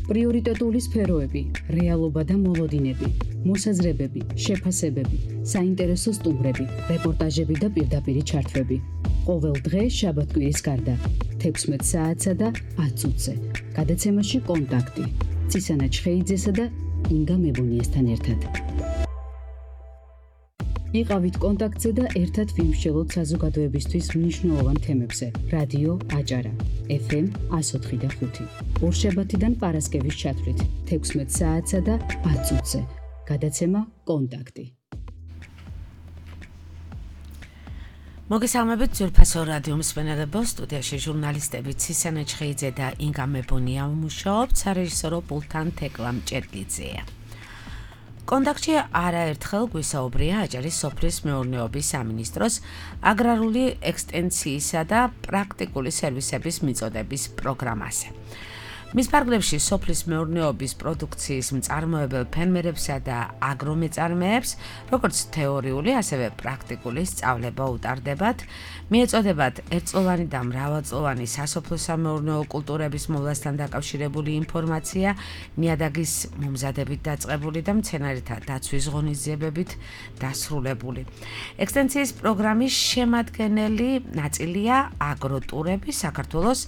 პრიორიტეტული სფეროები, რეალობა და მოლოდინები, მოსაზრებები, შეფასებები, საინტერესო სტუმრები, რეპორტაჟები და პირდაპირი ჩართვები. ყოველ დღე შაბათ-კვირის გარდა 16 საათსა და 10 წუთზე. გადაცემაში კონტაქტი. ცისანა ჩხეიძესა და ინგა მებონიასთან ერთად. იყავით კონტაქტზე და ერთად ვიმსჯელოთ საზოგადოებისთვის მნიშვნელოვან თემებზე. რადიო აჭარა, FM 104 და 5. ორშაბათიდან პარასკევის ჩათვლით 16 საათსა და 10 წუთზე. გადაცემა კონტაქტი. მოგესალმებით ძვირფასო რადიო მსმენელებო, სტუდიაში ჟურნალისტები ცისანა ჩხეიძე და ინგა მებონია მუშაობთ, სარეჟისორო პულტთან თეკლა მჭედლიძეა. კონტაქტში არაერთხელ გვისაუბრია აჭარის სოფლის მეურნეობის სამინისტროს აგრარული ექსტენციისა და პრაქტიკული სერვისების მიწოდების პროგრამაზე. მის ფარგლებში სოფლის მეურნეობის პროდუქციის მწარმოებელ ფერმერებსა და აგრომეწარმეებს, როგორც თეორიული, ასევე პრაქტიკული სწავლება უტარდებათ, მიეწოდებათ ერთწლოვანი და მრავალწლოვანი სასოფლო-სამეურნეო კულტურების მოვლასთან დაკავშირებული ინფორმაცია, ნიადაგის მომზადებით დაწყებული და მცენარეთა დაცვის ღონისძიებებით დასრულებული. ექსტენციის პროგრამის შემადგენელი ნაწილია აგროტურები საქართველოს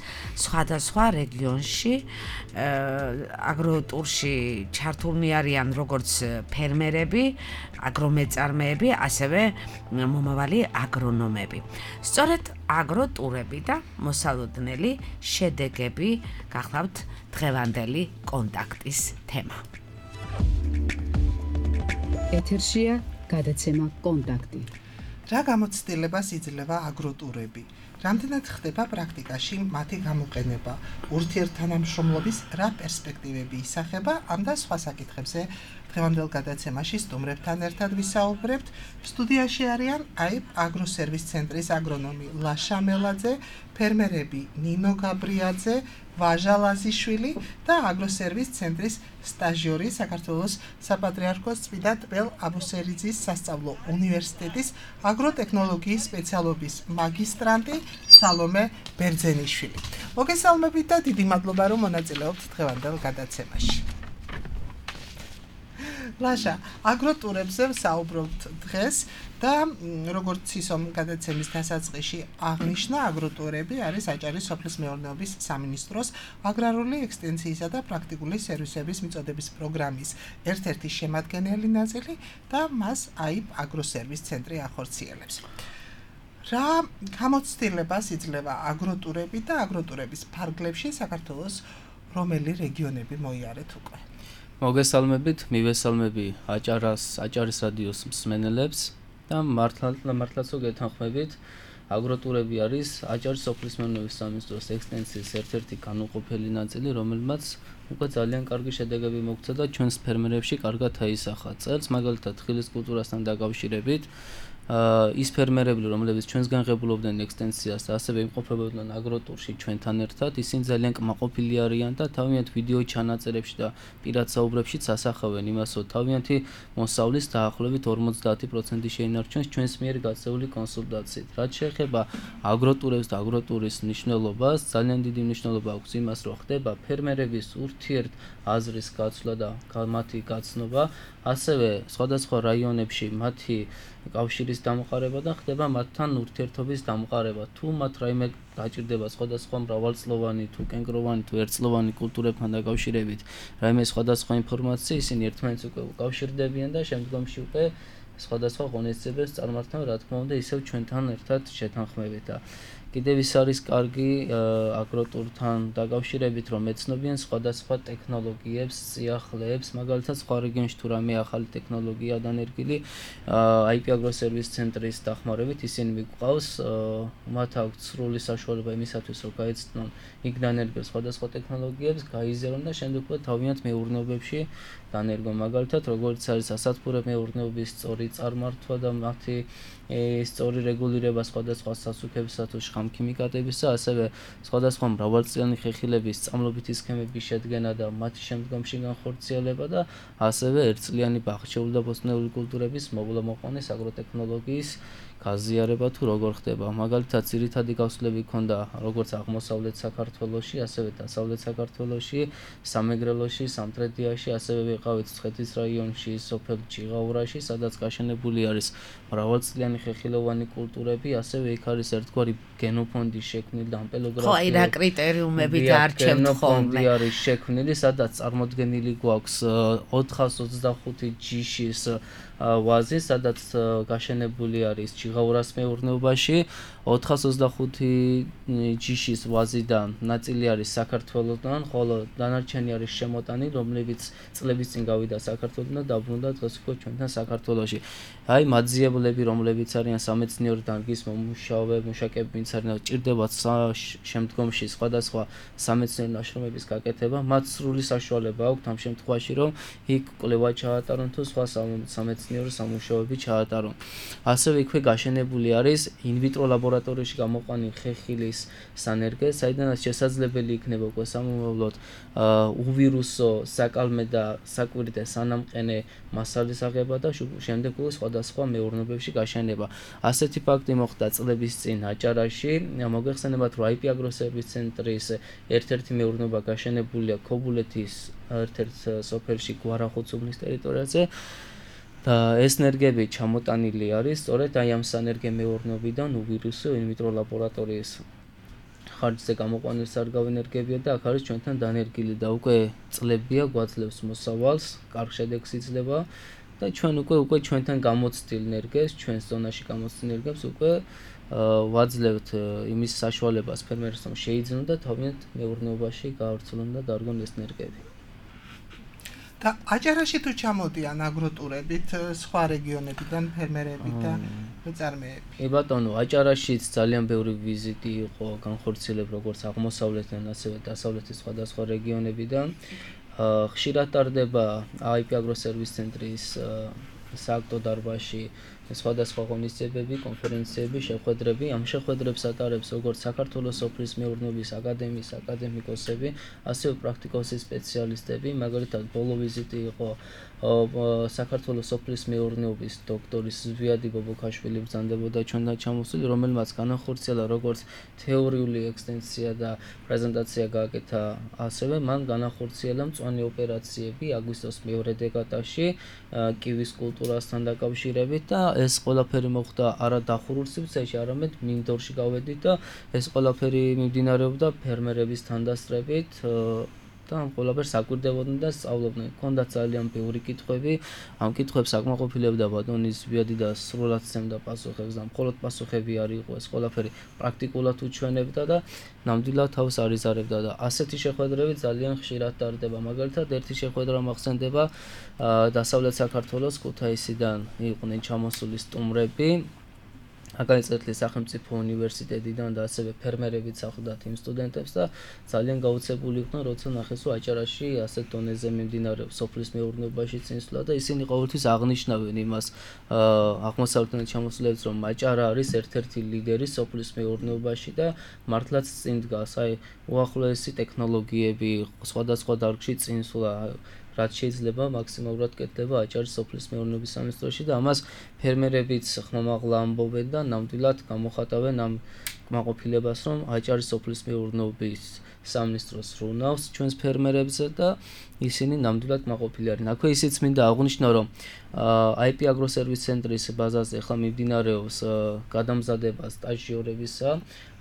სხვადასხვა რეგიონში. აგროტურში ჩართულნი არიან როგორც ფერმერები, აგრომეწარმეები, ასევე მომავალი აგრონომები. სწორედ აგროტურები და მოსალოდნელი შედეგები გახლავთ დღევანდელი კონტაქტის თემა. ეთერშია გადაცემა კონტაქტი. რა გამოცდილებას იძლევა აგროტურები? რამდენად ხდება პრაქტიკაში მათი გამოყენება? ურთიერთთანამშრომლობის რა პერსპექტივები ისახება? ამ და სხვა საკითხებზე დღევანდელ გადაცემაში სტუმრებთან ერთად ვისაუბრებთ. სტუდიაში არიან აიბ აგროსერვის ცენტრის აგრონომი ლაშა მელაძე, ფერმერები ნინო გაბრიაძე, ვაჟა ლაზიშვილი და აგროსერვის ცენტრის სტაჟიორი საქართველოს საპატრიარქოს წმინდა ტბელ აბუსერიძის სასწავლო უნივერსიტეტის აგროტექნოლოგიის სპეციალობის მაგისტრანტი სალომე ბერძენიშვილი. მოგესალმებით და დიდი მადლობა რომ მონაწილეობთ დღევანდელ გადაცემაში. ლაშა, აგროტურებზე ვსაუბრობთ დღეს და როგორც ისომ გადაცემის დასაწყისში აღნიშნა, აგროტურები არის აჭარის სოფლის მეურნეობის სამინისტროს აგრარული ექსტენციისა და პრაქტიკული სერვისების მიწოდების პროგრამის ერთ-ერთი შემადგენელი ნაწილი და მას აიბ აგროსერვის ცენტრი ახორციელებს. რა გამოცდილებას იძლევა აგროტურები და აგროტურების ფარგლებში საქართველოს რომელი რეგიონები მოიარეთ უკვე? მოგესალმებით, მივესალმები აჭარის რადიოს მსმენელებს და მართლაც გეთანხმებით. აგროტურები არის აჭარის სოფლის მეურნეობის სამინისტროს ექსტენციის ერთ-ერთი განუყოფელი ნაწილი, რომელმაც უკვე ძალიან კარგი შედეგები მოგცა და ჩვენს ფერმერებში კარგად აისახა. წელს მაგალითად ხილის კულტურასთან დაკავშირებით ის ფერმერები, რომლებიც ჩვენსგან ღებულობდნენ ექსტენციას და ასევე იმყოფებოდნენ აგროტურში ჩვენთან ერთად, ისინი ძალიან კმაყოფილი არიან და თავიანთ ვიდეო ჩანაწერებში და პირად საუბრებშიც ასახავენ იმას, რომ თავიანთი მოსავლის დაახლოებით 50% შეინარჩუნეს ჩვენს მიერ გაწეული კონსულტაციით. რაც შეეხება აგროტურებს და აგროტურის მნიშვნელობას, ძალიან დიდი მნიშვნელობა აქვს იმას, რომ ხდება ფერმერების ურთიერთ აზრის გაცვლა და მათი გაცნობა, ასევე სხვადასხვა რაიონებში მათი კავშირის დამყარება და ხდება მათთან ურთიერთობის დამყარება. თუ მათ რაიმე გაჭირდება სხვადასხვა მრავალწლოვანი თუ კენკროვანი თუ ერთწლოვანი კულტურებთან დაკავშირებით, რაიმე სხვადასხვა ინფორმაცია, ისინი ერთმანეთს უკვე უკავშირდებიან და შემდგომში უკვე სხვადასხვა ღონისძიებებს წარმართავენ, რა თქმა უნდა, ისევ ჩვენთან ერთად შეთანხმებით. კიდევ ის არის კარგი აგროტურთან დაკავშირებით, რომ ეცნობიან სხვადასხვა ტექნოლოგიებს, სიახლეებს, მაგალითად სხვა რეგიონში თუ რამე ახალი ტექნოლოგია დანერგილი, აიბ აგროსერვის ცენტრის დახმარებით ისინი მიგვყავს, მათ აქვს სრული საშუალება იმისათვის, რომ გაეცნონ იქ დანერგილ სხვადასხვა ტექნოლოგიებს, გაიზერონ და შემდეგ უკვე თავიანთ მეურნეობებში დანერგონ. მაგალითად, როგორც არის სასათბურე მეურნეობის სწორი წარმართვა და მათი სწორი რეგულირება სხვადასხვა სასუქებისა თუ შხამქიმიკატებისა, ასევე სხვადასხვა მრავალწლიანი ხეხილების სწამლობითი სქემების შედგენა და მათი შემდგომში განხორციელება და ასევე ერთწლიანი ბაღჩეული და ბოსტნეული კულტურების მოვლა-მოყვანის აგროტექნოლოგიის გაზიარება თუ როგორ ხდება. მაგალითად, ძირითადი გასვლები ქონდა როგორც აღმოსავლეთ საქართველოში, ასევე დასავლეთ საქართველოში, სამეგრელოში, სამტრედიაში, ასევე ვიყავით მცხეთის რაიონში, სოფელ ჭიღაურაში, სადაც გაშენებული არის მრავალწლიანი ხეხილოვანი კულტურები, ასევე იქ არის ერთგვარი გენოფონდი შექმნილი და ამპელოგრაფია. ხო, აი რა კრიტერიუმები დაარჩევთ ხოლმე? გენოფონდი არის შექმნილი, სადაც წარმოდგენილი გვაქვს 425 ჯიშის ვაზი, სადაც გაშენებული არის ჭიღაურას მეურნეობაში, 425 ჯიშის ვაზიდან ნაწილი არის საქართველოსთან, ხოლო დანარჩენი არის შემოტანილი, რომლებიც წლების წინ გავიდა საქართველოსთან და დაბრუნდა დღეს უკვე ჩვენთან საქართველოში. აი მაძიებლები, რომლებიც არიან სამეცნიერო დარგის მუშაკები, ვინც არიან, ჭირდებათ შემდგომში სხვადასხვა სამეცნიერო ნაშრომების გაკეთება, მათ სრული საშუალება აქვთ ამ შემთხვევაში, რომ იქ კვლევა ჩაატარონ თუ სხვა სამეცნიერო სამუშაოები ჩაატარონ. ასევე იქვე გაშენებული არის ინვიტრო ლაბორატორიაში გამოყვანილი ხეხილის სანერგე, საიდანაც შესაძლებელი იქნება უკვე სამომავლოდ უვირუსო, საკალმე და საკვირტე სანამყენე მასალის აღება და შემდეგ უკვე სხვადასხვა მეურნეობებში გაშენება. ასეთი ფაქტი მოხდა წლების წინ აჭარაში. მოგეხსენებათ, რომ IP აგროსერვის ცენტრის ერთ-ერთი მეურნეობა გაშენებულია ქობულეთის ერთ-ერთ სოფელში გვარახუცუბნის ტერიტორიაზე. და ეს ნერგები ჩამოტანილი არის სწორედ აი ამ სანერგე მეურნეობიდან უვირუსო ინვიტრო ლაბორატორიის ხარჯზე გამოყვანილი სარგავი ნერგებია და აქ არის ჩვენთან დანერგილი და უკვე წლებია გვაძლევს მოსავალს, კარგ შედეგს იძლევა და ჩვენ უკვე ჩვენთან გამოცდილ ნერგებს, ჩვენს ზონაში გამოცდილ ნერგებს უკვე ვაძლევთ იმის საშუალებას ფერმერებს, რომ შეიძინონ და თავიანთ მეურნეობაში გაავრცელონ და დარგონ ეს ნერგები. და აჭარაში თუ ჩამოდიან აგროტურებით სხვა რეგიონებიდან ფერმერები და მეწარმეები. კი ბატონო, აჭარაშიც ძალიან ბევრი ვიზიტი იყო განხორციელებული როგორც აღმოსავლეთიდან, ასევე დასავლეთის სხვადასხვა რეგიონებიდან. ხშირად ტარდება IP აგროსერვის ცენტრის სააქტო დარბაზში სხვადასხვა ღონისძიებები, კონფერენციები, შეხვედრები. ამ შეხვედრებს ატარებს როგორც საქართველოს სოფლის მეურნეობის აკადემიის აკადემიკოსები, ასევე პრაქტიკოსი სპეციალისტები. მაგალითად, ბოლო ვიზიტი იყო საქართველოს სოფლის მეურნეობის დოქტორის ზვიადი ბობოქაშვილი ბრძანდებოდა ჩვენთან ჩამოსული, რომელმაც განახორციელა როგორც თეორიული ექსტენსია და პრეზენტაცია გააკეთა, ასევე მან განახორციელა მწვანე ოპერაციები აგვისტოს მეორე დეკადაში კივის კულტურასთან დაკავშირებით და ეს ყველაფერი მოხდა არა დახურულ სივრცეში, არამედ მინდორში გავედით და ეს ყველაფერი მიმდინარეობდა ფერმერების თანდასწრებით და ამ ყველაფერს აკვირდებოდნენ და სწავლობდნენ. ჰქონდათ ძალიან ბევრი კითხვები, ამ კითხვებს აკმაყოფილებდა ბატონი ზვიადი და სრულად სცემდა პასუხებს და მხოლოდ პასუხები არ იყო, ეს ყველაფერი პრაქტიკულად უჩვენებდა და ნამდვილად თავს არიზარებდა და ასეთი შეხვედრები ძალიან ხშირად ტარდება. მაგალითად, ერთი შეხვედრა მახსენდება დასავლეთ საქართველოს ქუთაისიდან იყვნენ ჩამოსული სტუმრები, აკადემიის სახელმწიფო უნივერსიტეტიდან და ასევე ფერმერებიც ახლდათ იმ სტუდენტებს და ძალიან გაოცებული იყვნენ, როცა ნახეს, რომ აჭარაში ასეთ დონეზე მიმდინარეობს სოფლის მეურნეობაში წინსვლა და ისინი ყოველთვის აღნიშნავენ იმას აღმოსავლეთიდან ჩამოსულებს, რომ აჭარა არის ერთ-ერთი ლიდერი სოფლის მეურნეობაში და მართლაც წინ დგას, აი უახლოესი ტექნოლოგიები, სხვადასხვა დარგში წინსვლა რაც შეიძლება მაქსიმალურად კეთდება აჭარის სოფლის მეურნეობის სამინისტროში და ამას ფერმერებიც ხმამაღლა ამბობენ და ნამდვილად გამოხატავენ ამ კმაყოფილებას, რომ აჭარის სოფლის მეურნეობის სამინისტროს რუნავს ჩვენს ფერმერებზე და ისინი ნამდვილად კმაყოფილი არიან. აქვე ისიც მინდა აღვნიშნო, რომ IP აგროსერვის ცენტრის ბაზაზე ახლა მიმდინარეობს გადამზადება სტაჟიორებისა.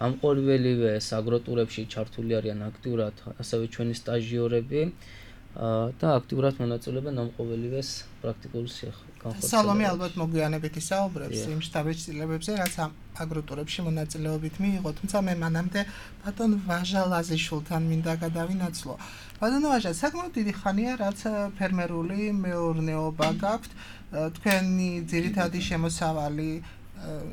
ამ ყოველივე აგროტურებში ჩართული არიან აქტიურად ასევე ჩვენი სტაჟიორები. და აქტიურად მონაწილეობენ ამ ყოველივეს პრაქტიკულ განხორციელებაში. სალომე ალბათ მოგვიანებით ისაუბრებს იმ შტაბ-ცვლილებებზე, რაც ამ აგროტურებში მონაწილეობით მიიღო, თუმცა მე მანამდე ბატონ ვაჟა ლაზიშვილთან მინდა გადავინაცვლო. ბატონო ვაჟა, საკმაოდ დიდი ხანია, რაც ფერმერული მეურნეობა გაქვთ, თქვენი ძირითადი შემოსავალი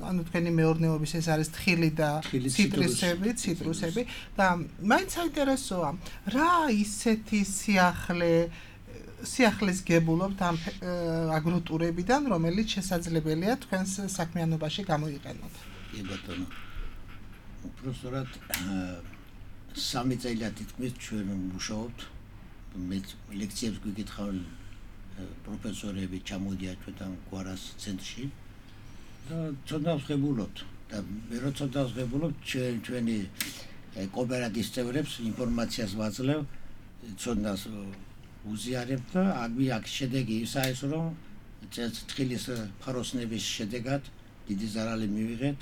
ანუ თქვენი მეურნეობის ეს არის თხილი და ციტრუსები და მაინც საინტერესოა რა ისეთი სიახლის გებულობთ ამ აგროტურებიდან, რომელიც შესაძლებელია თქვენს საქმიანობაში გამოიყენოთ. კი ბატონო. უბრალოდ 3 წელია თითქმის ჩვენ ვმუშაობთ. მე ლექციებს გვიკითხავენ პროფესორები, ჩამოდიან ჩვენთან გვარას ცენტრში. ცოდნავს ღებულობთ და მე რო ცოდნავს ღებულობ ჩვენი კოოპერატივის წევრებს ინფორმაციას ვაძლევ ცოდნას უზიარებ და აქ შედეგი ისაა ის რომ თხილის ფაროსნების შედეგად დიდი ზარალი მივიღეთ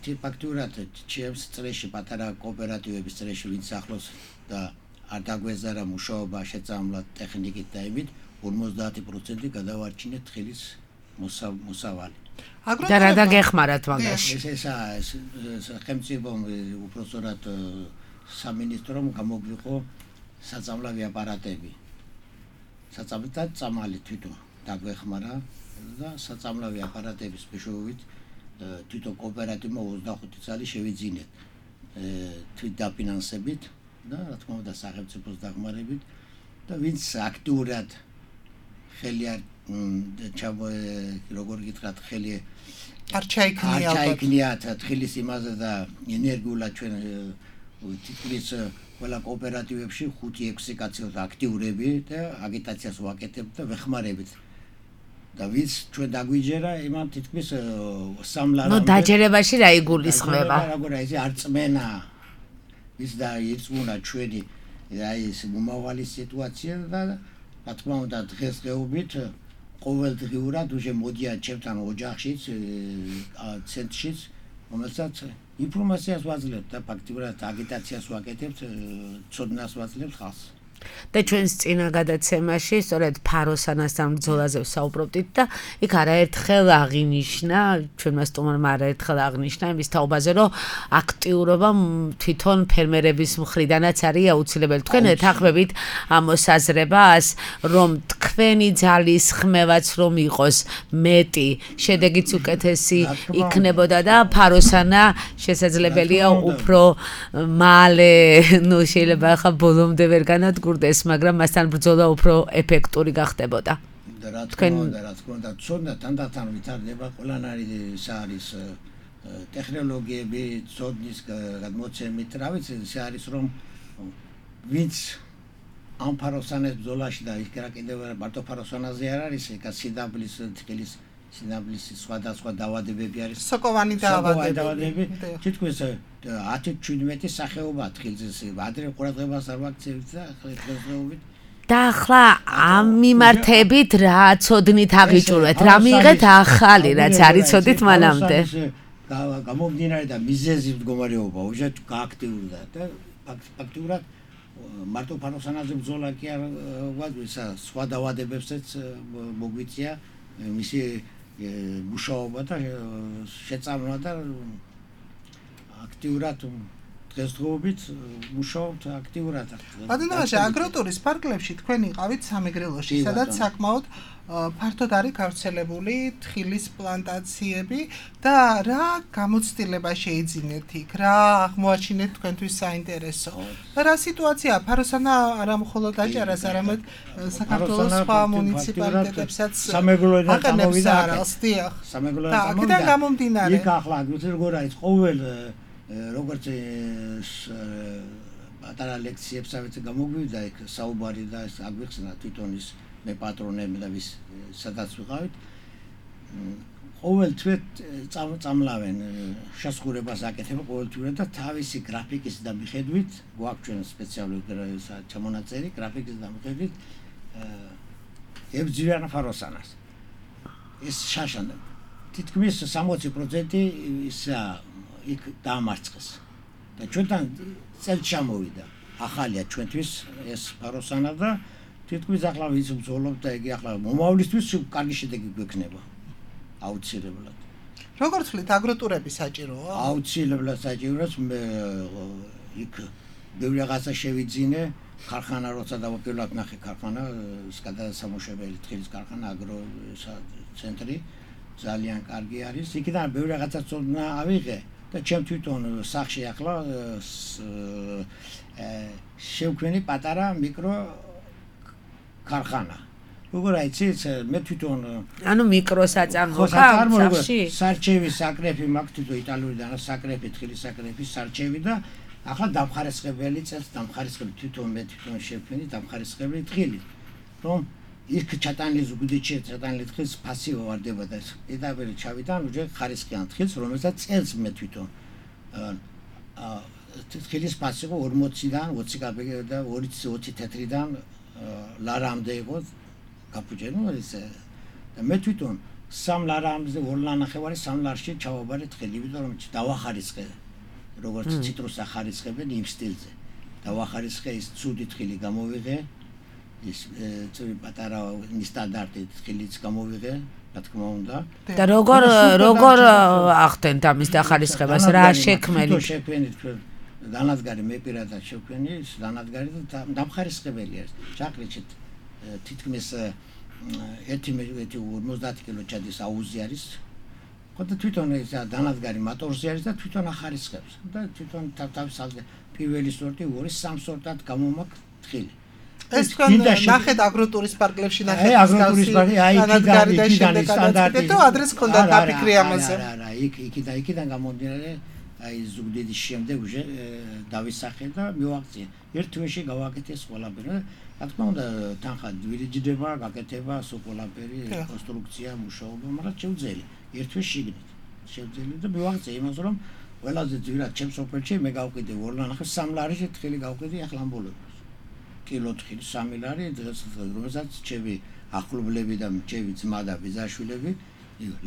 და ფაქტურად ჩემს წრეში პატარა კოოპერატივების წრეში ვინც ახლოს და არ დაგვეზარა მუშაობა შეწამლად ტექნიკით და იმით 50% გადავარჩინეთ თხილის მოსავალი და რა დაგეხმარათ მაგაში ესაა სახელმწიფომ უпростоრად სამინისტრომ გამოგვიყო საწამლავი აპარატები საწამლად წამალი თვითონ დაგვეხმარა და საწამლავი აპარატების მეშვეობით თვითონ კოოპერატივმა 25 წელი შევიძინეთ თვით დაფინანსებით და რა თქმა უნდა სახელმწიფოს დახმარებით და ვინც აქტიურად ხელი არ როგორ გითხრათ ხელი არ ჩაიქნიათ თხილის იმაზე და ენერგიულად ჩვენ თითქმის ყველა კოოპერატივებში 5-6 კაცი აქტიურები და აგიტაციას ვაკეთებთ და ვეხმარებით და ვინც ჩვენ დაგვიჯერა იმან თითქმის სამლარამდე ნუ დაჯერებაში რა იგულისხმება როგორ აი არ წმენა ვის და ირწმუნა ჩვენი აი ეს მომავალი სიტუაცია და რა თქმა უნდა დღესდღეობით ყოველდღიურად უკვე მოდიან ჩემთან ოჯახშიც ცენტრშიც რომელსაც ინფორმაციას ვაძლევთ და ფაქტიურად აგიტაციას ვაკეთებთ ცოდნას ვაძლევთ ხალხს და ჩვენს წინა გადაცემაში სწორედ ფაროსანასთან ბრძოლაზე ვსაუბრობდით და იქ არაერთხელ აღინიშნა ჩვენმა სტუმარმა არაერთხელ აღნიშნა იმის თაობაზე რომ აქტიურობა თვითონ ფერმერების მხრიდანაც არის აუცილებელი თქვენ ეთანხმებით ამ მოსაზრებას რომ თქვენი ძალის ხმევაც რომ იყოს მეტი შედეგიც უკეთესი იქნებოდა და ფაროსანა შესაძლებელია უფრო მალე ნუ შეიძლება ახლა ბოლომდე ვერ განადგურდეს მაგრამ მასთან ბრძოლა უფრო ეფექტური გახდებოდა და რა თქმა უნდა ცოდნა თანდათან ვითარდება ყველანაირი ეს არის ტექნოლოგიები ცოდნის გადმოცემით რა ვიცი ეს არის რომ ვინც ამ ფაროსანეს ბრძოლაში და იქ რა კიდევ მარტო ფაროსანაზე არ არის ეკა სიდაბლის თქილის სინაბლის სხვადასხვა დაავადებები არის სოკოვანი დაავადებები თითქმის 10-17 სახეობა თხილზე ადრე ყურადღებას არ ვაქცევით და დღესდღეობით და ახლა ამ მიმართებით რა ცოდნით აღიჭურვეთ რა მიიღეთ ახალი რაც არ იცოდით მანამდე გამომდინარე და მიზეზი მდგომარეობა უკვე გააქტიურდა და ფაქტურად მარტო ფაროსანაზე ბრძოლა კი არ ვაძლევსა სხვა დაავადებებსაც მოგვიწია მისი მუშაობა და შეწამლა და აქტიურად დღესდღეობით მუშაობთ აქტიურად. ბატონო, აგროტურის პარკლებში თქვენ იყავით სამეგრელოში, სადაც საკმაოდ ფართოდ არის გავრცელებული თხილის პლანტაციები და რა გამოცდილება შეიძინეთ იქ, რა აღმოაჩინეთ თქვენთვის საინტერესო. და რა სიტუაცია ფაროსანა არა მხოლოდ აჭარას, არამედ საქართველოს სხვა მუნიციპალიტეტებსაც სამეგრელოდან არალს, დიახ. სამეგრელოდან გამომდინარე. იქ ახლა როგორ არის ყოველ როგორც პატარა ლექციებსაც გამოგვივიდა იქ საუბარი და აგვიხსნა თვითონ ის მე პატრონები და ვის სადაც ვიყავით ყოველ თვე წამლავენ შესხურებას აკეთებენ ყოველ თვე და თავისი გრაფიკის და მიხედვით გვაქვს ჩვენ სპეციალური ჩამონაწერი გრაფიკის და მიხედვით ებძვიან ფაროსანას ეს შაშანა თითქმის 60% ისა იქ დამარცხეს და ჩვენთან წელს ჩამოვიდა ახალია ჩვენთვის ეს ფაროსანა და თითქმის ახლა ვინც ბრძოლობ და იგი ახლა მომავლისთვის კარგი შედეგი გვექნება აუცილებლად როგორ თვლით აგროტურები საჭიროა აუცილებლად საჭიროა მე იქ ბევრი რაღაცა შევიძინე ქარხანა როცა დავაპირლად ნახე ქარხანა გადასამუშავებელი თხილის ქარხანა აგრო ცენტრი ძალიან კარგი არის იქიდან ბევრი რაღაცა წოდნა ავიღე და ჩემ თვითონ სახში ახლა შევქმნი პატარა მიკრო ქარხანა. როგორ აიცით, მე თვითონ ანუ მიკროსაწარმო ხარხში სარჩევი საკრეფი მაქვს თვითონ იტალიურიდან საკრეფი თხილის საკრეფი სარჩევი და ახლა დამხარისხებელი წელს დამხარისხებელი თვითონ მე თვითონ შევქმნი დამხარისხებელი თხილი. რომ იქ ჩატანილი ზუგდიდში ჩატანილი თხილს ფასი ვარდება და პირდაპირ ჩავიდან უჯერ ხარისხიან თხილს, რომელსაც წელს მე თვითონ თხილის ფასი იყო 40-დან 20 კაპიკა და 20 თეთრიდან ლარამდე იყო გაფუჭენო ესე და მე თვითონ 3 ლარამდე 2 ლარნახევარი 3 ლარში ჩავაბარე თხილი, იმიტომ რომ დავახარისხე როგორც ციტრუსს ახარისხებენ იმ სტილზე. დავახარისხე ის ცუდი თხილი გამოვიღე, ის პატარა სტანდარტი თხილიც გამოვიღე, რა თქმა უნდა. და როგორ ახდენთ ამის დახარისხებას, რა შექმნილი? შექმნით დანადგარი მე პირადად შექმნი, დანადგარი და დამხარისხებელია. ჩაყრიჩეთ თითქმის 50 კილო ჩადის აუზი არის. ხოდა თვითონ ეს დანადგარი მოტორზე არის და თვითონ ახარისხებს და თვითონ თავის ალზე პირველი სორტი 2-3 სორტად გამომაქ თხილი. ეს თქვენ ნახეთ აგროტურის პარკლებში ნახეთ აგროტურის პარკი აი იქიდან სტანდარტი და ადრეს ქონდა დაფიქრი ამაზე. არა, იქიდან გამომდინარე აი ზუგდიდის შემდეგ უჟე დავისახე და მივაღწია. ერთ თვეში გავაკეთე ყველაფერი. რა თქმა უნდა თანხა ვირიჯდება, გაკეთება, ყველაფერი, კონსტრუქცია, მუშაობა, მაგრამ შეუძლია. ერთ თვეში შიგნით. შეუძლია და მივაღწია იმას რომ ყველაზე ძვირად ჩემს ოფერში მე გავყიდე 2 ლარნახევ 3 ლარში თხილი გავყიდე ახლა ამბოლებს. კილო თხილი 3 ლარი დღეს რომელსაც ჩემი ახლობლები და ჩემი ძმა და ბიძაშვილები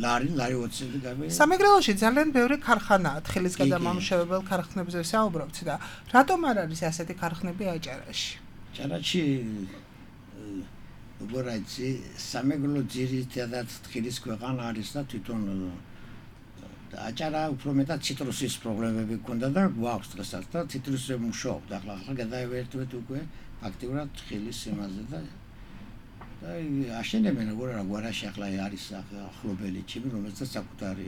ლარი 20 ცენტი გავე. სამეგრელოში ძალიან ბევრი ქარხანაა, თხილის გადამამუშავებელ ქარხნებზე საუბრობთ და რატომ არ არის ასეთი ქარხნები აჭარაში? აჭარაში როგორ იცი სამეგრელო ძირითადად თხილის ქვეყანა არის და თვითონ აჭარა უფრო მეტად ციტრუსის პრობლემები ჰქონდა და გვაქვს დღესაც და ციტრუსზე მუშაობთ. ახლა გადაევერტვეთ უკვე აქტიურად თხილის იმაზე და აშენებენ როგორ არა გვარაში ახლა არის ახლობელი ჩემი რომელსაც საკუთარი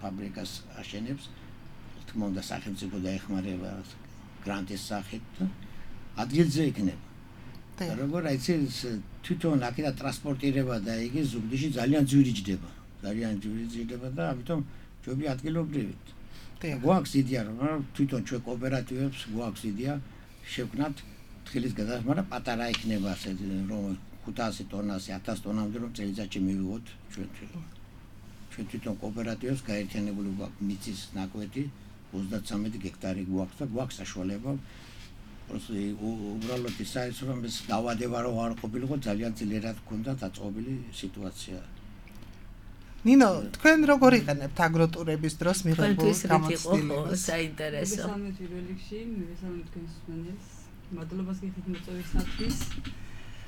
ფაბრიკას აშენებს. თქმა უნდა სახელმწიფო დაეხმარება გრანტის სახით და ადგილზე იქნება. და როგორ იცი თვითონ აქედან ტრანსპორტირება და იგი ზუგდიდში ძალიან ძვირი ჯდება. ძალიან ძვირი ჯდება და ამიტომ ჯობი ადგილობრივით. გვაქვს იდეა რომ თვითონ ჩვენ კოოპერატივებს გვაქვს იდეა შევქნათ თხილის გადასხმა, მაგრამ პატარა იქნება ასე რომ 500 ტონაზე 1000 ტონამდე რომ წელიწადში მივიღოთ ჩვენ თვითონ კოოპერატივებს გაერთიანებული გვაქვს მიწის ნაკვეთი 33 გექტარი გვაქვს და გვაქვს საშუალება უბრალოდ ის არის რომ ეს დავადება რომ არ ყოფილიყო ძალიან ძლიერად გქონდა დაწყობილი სიტუაცია. ნინო, თქვენ როგორ იყენებთ აგროტურების დროს მიღებულ გამოცდილებას? საინტერესო. მესამე პირველ რიგში, მესამე თქვენს მსმენელს მადლობას გიხდით მოწვევისათვის.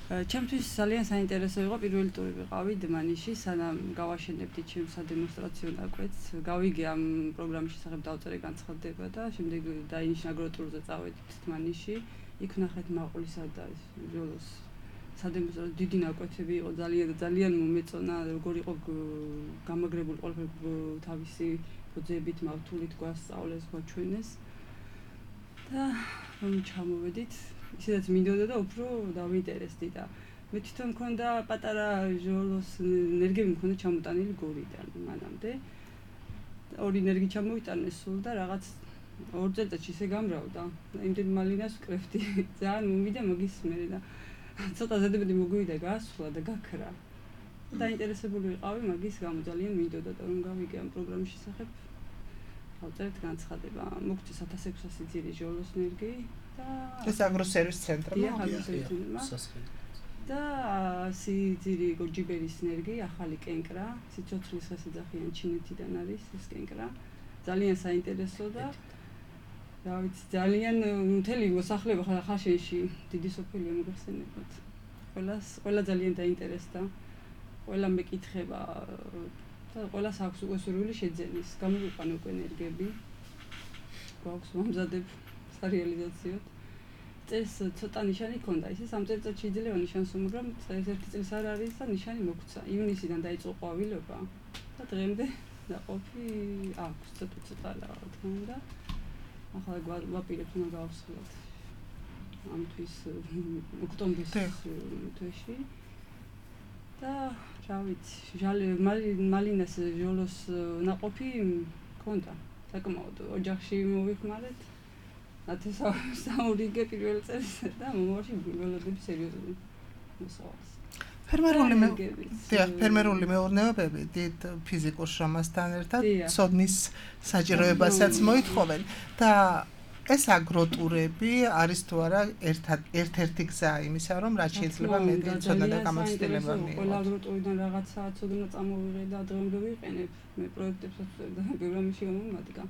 ჩემთვის ძალიან საინტერესო იყო პირველი ტური ვიყავი დმანიში, სანამ გავაშენებდი ჩემს სადემონსტრაციო ნაკვეთს. გავიგე ამ პროგრამის შესახებ დავწერე განცხადება და შემდეგ დაინიშნა აგროტურზე წავედით დმანიში. იქ ვნახეთ მაყვლისა და ბიოლოს სადემონსტრაციო დიდი ნაკვეთები იყო, ძალიან მომეწონა, როგორ იყო გამაგრებული ყველაფერი თავისი ბოძებით, მავთულით გვასწავლეს, გვაჩვენეს. და რომ ჩამოვედით ისედაც მინდოდა და უფრო დავინტერესდი და მე თვითონ მქონდა პატარა ჟოლოს ენერგები მქონდა ჩამოტანილი გორიდან მანამდე. ორი ენერგი ჩამოვიტანეს სულ და რაღაც 2 წელიწადში ისე გამრავდა. იმდენ მალინას ვკრებდი. ძალიან მომიდა მაგის მერე და ცოტა ზედმეტი მოგვივიდა გასვლა და გაქრა. დაინტერესებული ვიყავი მაგის გამო ძალიან მინდოდა და რომ გავიგე ამ პროგრამის შესახებ. ავწერეთ განცხადება. მოგწეს 1600 ძირი ჟოლოს ენერგი და ეს აგროსერვის ცენტრმა და სიძირი გორჯიბერის ენერგი ახალი კენკრა სიცოცხლის ხესიძახიან ჩინეთიდან არის ეს კენკრა ძალიან საინტერესო და რა ვიცი ძალიან მთელი მოსახლეობა ხაშენში დიდი სოფელია მოგხსენებათ ყველა ძალიან დაინტერესდა ყველა მეკითხება და ყველას აქვს უკვე სურვილი შეძენის გამოვიყვანე უკვე ენერგები გვაქვს მომზადებ რეალიზაციოთ. წეს ცოტა ნიშანი ქონდა, ისე 3 წელიწადში იძლევა ნიშანს, მაგრამ წეს 1 წელს არ არის და ნიშანი მოგვცა. ივნისიდან დაიწყო ყვავილობა და დღემდე დაყოფი აქვს ცოტა რა თქმა უნდა. ახლა გვაპირებთ უნდა გავხსნათ ამ თვის ოქტომბრის თვეში. და რა ვიცი, მალინას ჟოლოს ნაყოფი ქონდა. საკმაოდ ოჯახში მოვიხმარეთ. ნათესავებსაურიგე პირველ წელს და მომავალში ველოდები სერიოზული მოსავალს. ფერმერული მეურნეობები დიდ ფიზიკურ შრომასთან ერთად ცოდნის საჭიროებასაც მოითხოვენ და ეს აგროტურები არის თუ არა ერთ-ერთი გზა იმისა, რომ რაც შეიძლება მეტი ცოდნა და გამოცდილება მიიღოთ. ყველა აგროტურიდან რაღაცა ცოდნა წამოვიღე და დღემდე ვიყენებ. მე პროექტებსაც და პროგრამაში გამომადგა.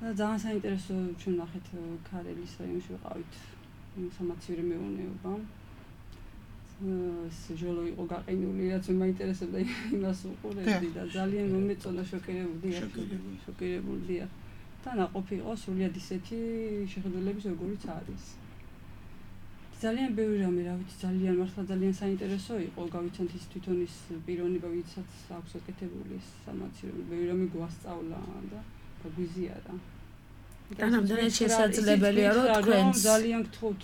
და ძალიან საინტერესო ჩვენ ნახეთ ქარელის რაიონში ვიყავით სამაცივრო მეურნეობა. ჟოლო იყო გაყინული, რაც მაინტერესებდა იმას უყურებდი და ძალიან მომეწონა შოკირებული. და ნაყოფი იყო სრულიად ისეთი შეხედულების როგორიც არის. ძალიან ბევრი რამე, რა ვიცი, ძალიან მართლა ძალიან საინტერესო იყო, გავიცანთ ის თვითონ ის პიროვნება, ვისაც აქვს ეკეთებული სამაცივრო, ბევრი რამე გვასწავლა და გვიზიარა. თანამდე შესაძლებელია რომ თქვენ ძალიან გთხოვთ